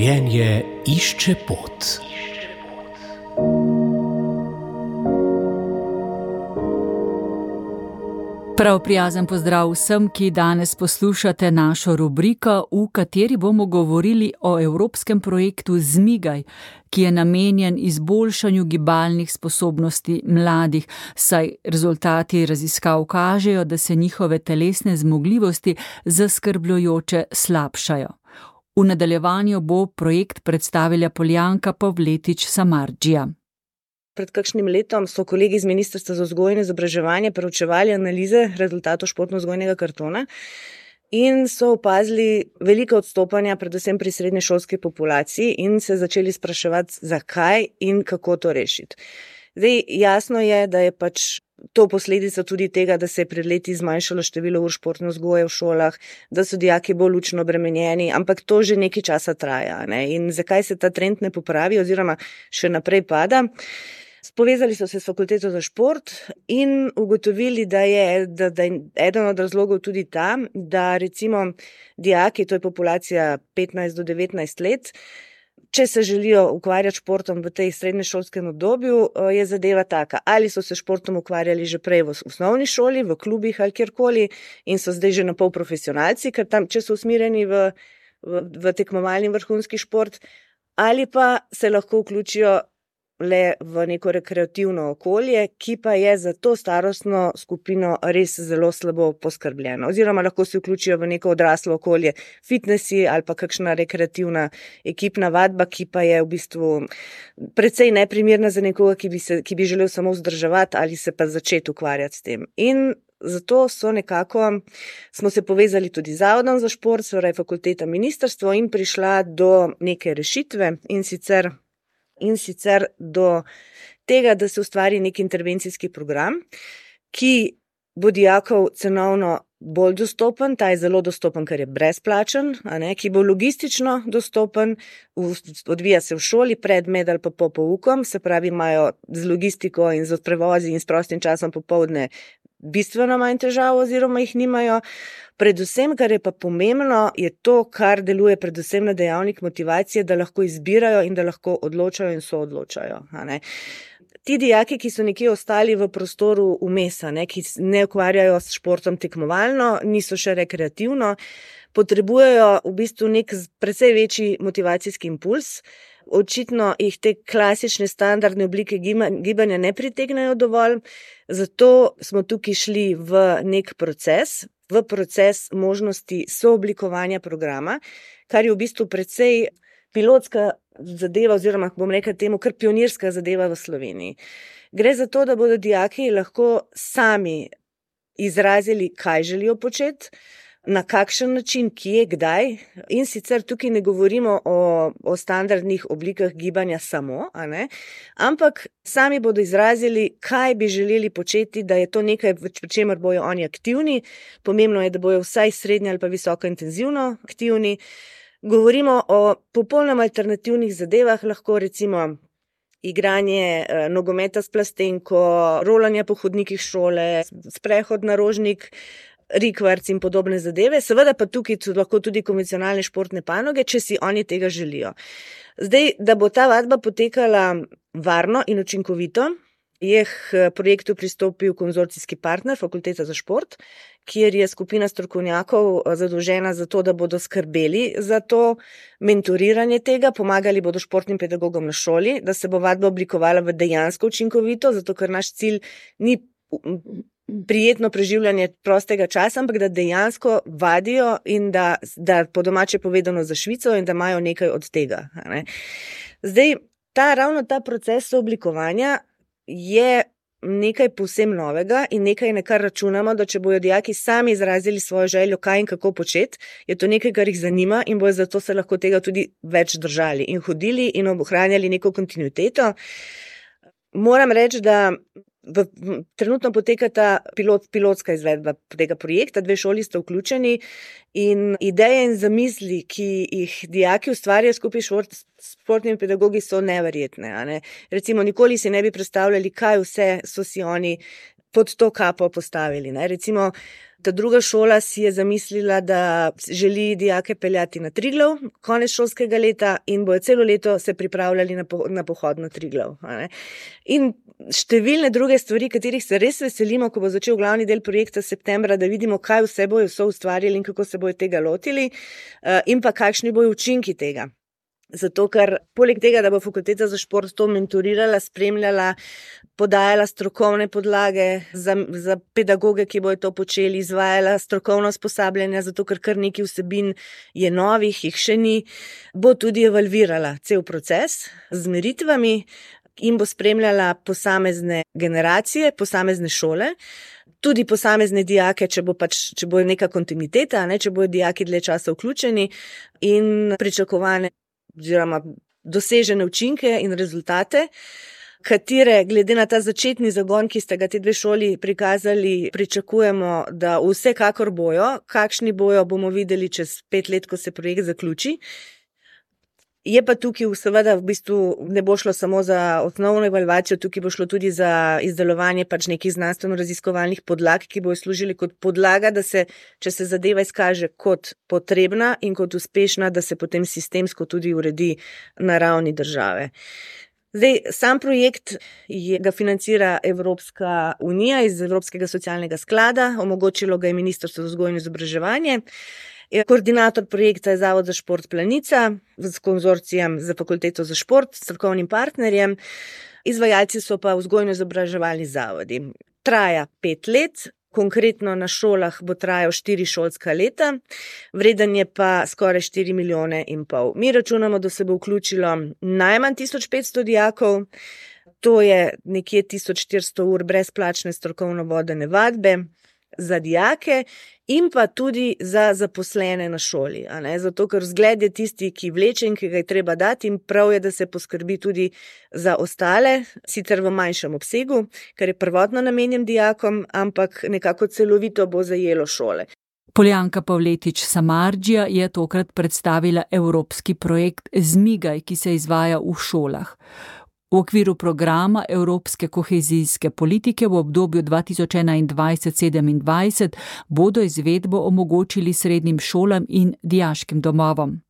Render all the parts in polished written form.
Življenje išče pot. Prav prijazen pozdrav vsem, ki danes poslušate našo rubriko, v kateri bomo govorili o evropskem projektu Zmigaj, ki je namenjen izboljšanju gibalnih sposobnosti mladih, saj rezultati raziskav kažejo, da se njihove telesne zmogljivosti zaskrbljujoče slabšajo. V nadaljevanju bo projekt predstavila Poljanka Pavletič-Samardžija. Pred kakšnim letom so kolegi iz Ministrstva za vzgojo in izobraževanje preučevali analize rezultatov športno-vzgojnega kartona in so opazili velika odstopanja, predvsem pri srednješolski populaciji, in se začeli spraševati, zakaj in kako to rešiti. Zdaj, jasno je, da je to posledica tudi tega, da se je pred leti zmanjšalo število ur športne vzgoje v šolah, da so dijaki bolj učno obremenjeni, ampak to že nekaj časa traja, ne? In zakaj se ta trend ne popravi oziroma še naprej pada? Povezali so se s fakulteto za šport in ugotovili, da je eden od razlogov tudi ta, da recimo dijaki, to je populacija 15 do 19 let, če se želijo ukvarjati športom v tej srednješolskem obdobju, je zadeva taka, ali so se športom ukvarjali že prej v osnovni šoli, v klubih ali kjerkoli in so zdaj že napol profesionalci, ker tam, če so usmerjeni v tekmovalni vrhunski šport, ali pa se lahko vključijo le v neko rekreativno okolje, ki pa je za to starostno skupino res zelo slabo poskrbljeno. Oziroma lahko se vključijo v neko odraslo okolje, fitnessi ali pa kakšna rekreativna ekipna vadba, ki pa je v bistvu precej neprimerna za nekoga, ki bi želel samo vzdrževati ali se pa začeti ukvarjati s tem. In zato smo se povezali tudi z Zavodom za šport, torej fakulteta, ministrstvo, in prišla do neke rešitve, in sicer do tega, da se ustvari nek intervencijski program, ki bo dijakov cenovno bolj dostopen, ta je zelo dostopen, ker je brezplačen, ki bo logistično dostopen, odvija se v šoli pred, med ali pa po poukom, se pravi, imajo z logistiko in z prevozi in s prostim časom popoldne bistveno manj težav oziroma jih nimajo. Predvsem, kar je pa pomembno, je to, kar deluje predvsem na dejavnik motivacije, da lahko izbirajo in da lahko odločajo in soodločajo. Ti dijaki, ki so nekje ostali v prostoru vmes, ki ne ukvarjajo s športom tekmovalno, niso še rekreativno, potrebujejo v bistvu nek precej večji motivacijski impuls. Očitno jih te klasične standardne oblike gibanja ne pritegnajo dovolj, zato smo tukaj šli v nek proces možnosti sooblikovanja programa, kar je v bistvu precej pilotska zadeva oziroma, bom rekla temu, kar pionirska zadeva v Sloveniji. Gre za to, da bodo dijaki lahko sami izrazili, kaj želijo početi, na kakšen način, kje, kdaj, in sicer tukaj ne govorimo o standardnih oblikah gibanja samo, ampak sami bodo izrazili, kaj bi želeli početi, da je to nekaj, pri čemer bojo oni aktivni. Pomembno je, da bojo vsaj srednje ali pa visoko intenzivno aktivni. Govorimo o popolnoma alternativnih zadevah, lahko recimo igranje nogometa s plastenko, rolanje po hodnikih šole, sprehod na Rožnik, rikverc in podobne zadeve, seveda pa tukaj so lahko tudi konvencionalne športne panoge, če si oni tega želijo. Zdaj, da bo ta vadba potekala varno in učinkovito, je k projektu pristopil konzorcijski partner, Fakulteta za šport, kjer je skupina strokovnjakov zadolžena za to, da bodo skrbeli za to mentoriranje tega, pomagali bodo športnim pedagogom na šoli, da se bo vadba oblikovala v dejansko učinkovito, zato ker naš cilj ni prijetno preživljanje prostega časa, ampak da dejansko vadijo in da po domače povedano zašvicajo in da imajo nekaj od tega. Zdaj, ravno ta proces oblikovanja je nekaj povsem novega in nekaj, na kar računamo, da če bojo dijaki sami izrazili svojo željo, kaj in kako početi, je to nekaj, kar jih zanima in bojo zato se lahko tega tudi več držali in hodili in ohranjali neko kontinuiteto. Moram reči, da trenutno poteka ta pilotska izvedba tega projekta, 2 šoli sta vključeni in ideje in zamisli, ki jih dijaki ustvarjajo skupaj s športnimi pedagogi, so neverjetne. Recimo, nikoli si ne bi predstavljali, kaj vse so si oni pod to kapo postavili. Ne. Recimo, ta druga šola si je zamislila, da želi dijake peljati na Triglav konec šolskega leta in bojo celo leto se pripravljali na pohod na Triglav. In številne druge stvari, katerih se res veselimo, ko bo začel glavni del projekta septembra, da vidimo, kaj vse bojo ustvarili in kako se bojo tega lotili in pa kakšni bojo učinki tega. Zato, ker poleg tega, da bo fakulteta za šport to mentorirala, spremljala, podajala strokovne podlage za pedagoge, ki bojo to počeli, izvajala strokovno usposabljanje, zato ker kar nekaj vsebin je novih, jih še ni, bo tudi evalvirala cel proces z meritvami in bo spremljala posamezne generacije, posamezne šole, tudi posamezne dijake, če bo neka kontinuiteta, če bojo dijaki dlje časa vključeni in pričakovane oziroma dosežene učinke in rezultate, katere glede na ta začetni zagon, ki ste ga te dve šoli prikazali, pričakujemo, da vsekakor bojo. Kakšni bojo, bomo videli čez 5 let, ko se projekt zaključi. Je pa tukaj seveda v bistvu ne bo šlo samo za osnovno evalvacijo, tukaj bo šlo tudi za izdelovanje nekih znanstveno-raziskovalnih podlag, ki bojo služili kot podlaga, da se, če se zadeva izkaže kot potrebna in kot uspešna, da se potem sistemsko tudi uredi na ravni države. Zdaj, sam projekt ga financira Evropska unija iz Evropskega socialnega sklada, omogočilo ga je Ministrstvo za vzgojo in izobraževanje. Koordinator projekta je Zavod za šport Planica s konzorcijem za fakulteto za šport, strokovnim partnerjem, izvajalci so pa vzgojno-izobraževalni zavodi. Traja 5 let, konkretno na šolah bo trajal 4 šolska leta, vreden je pa skoraj 4,5 milijone. Mi računamo, da se bo vključilo najmanj 1500 dijakov, to je nekje 1400 ur brezplačne strokovno vodene vadbe za dijake in pa tudi za zaposlene na šoli. Zato, ker vzgled je tisti, ki vleče in ki ga je treba dati in prav je, da se poskrbi tudi za ostale, sicer v manjšem obsegu, ker je prvotno namenjen dijakom, ampak nekako celovito bo zajelo šole. Poljanka Pavletič Samardžija je tokrat predstavila evropski projekt Zmigaj, ki se izvaja v šolah. V okviru programa Evropske kohezijske politike v obdobju 2021-2027 bodo izvedbo omogočili srednjim šolam in dijaškim domovom.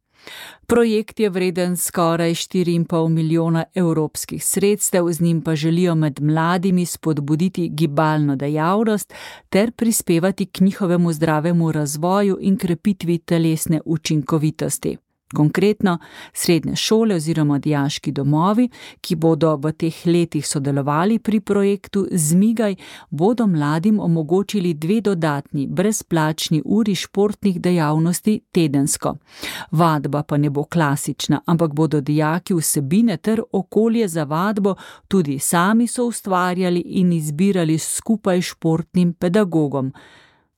Projekt je vreden skoraj 4,5 milijona evropskih sredstev, z njim pa želijo med mladimi spodbuditi gibalno dejavnost ter prispevati k njihovemu zdravemu razvoju in krepitvi telesne učinkovitosti. Konkretno, srednje šole oziroma dijaški domovi, ki bodo v teh letih sodelovali pri projektu Zmigaj, bodo mladim omogočili 2 dodatni brezplačni uri športnih dejavnosti tedensko. Vadba pa ne bo klasična, ampak bodo dijaki vsebine ter okolje za vadbo tudi sami soustvarjali in izbirali skupaj s športnim pedagogom.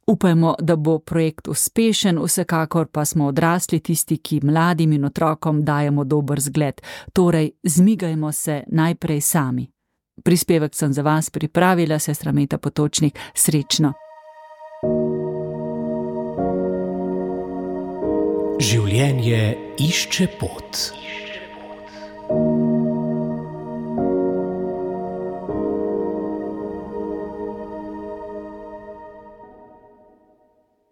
Upajmo, da bo projekt uspešen, vsekakor pa smo odrasli tisti, ki mladim in otrokom dajemo dober zgled. Torej, zmigajmo se najprej sami. Prispevek sem za vas pripravila, sestra Meta Potočnik. Srečno! Življenje išče pot.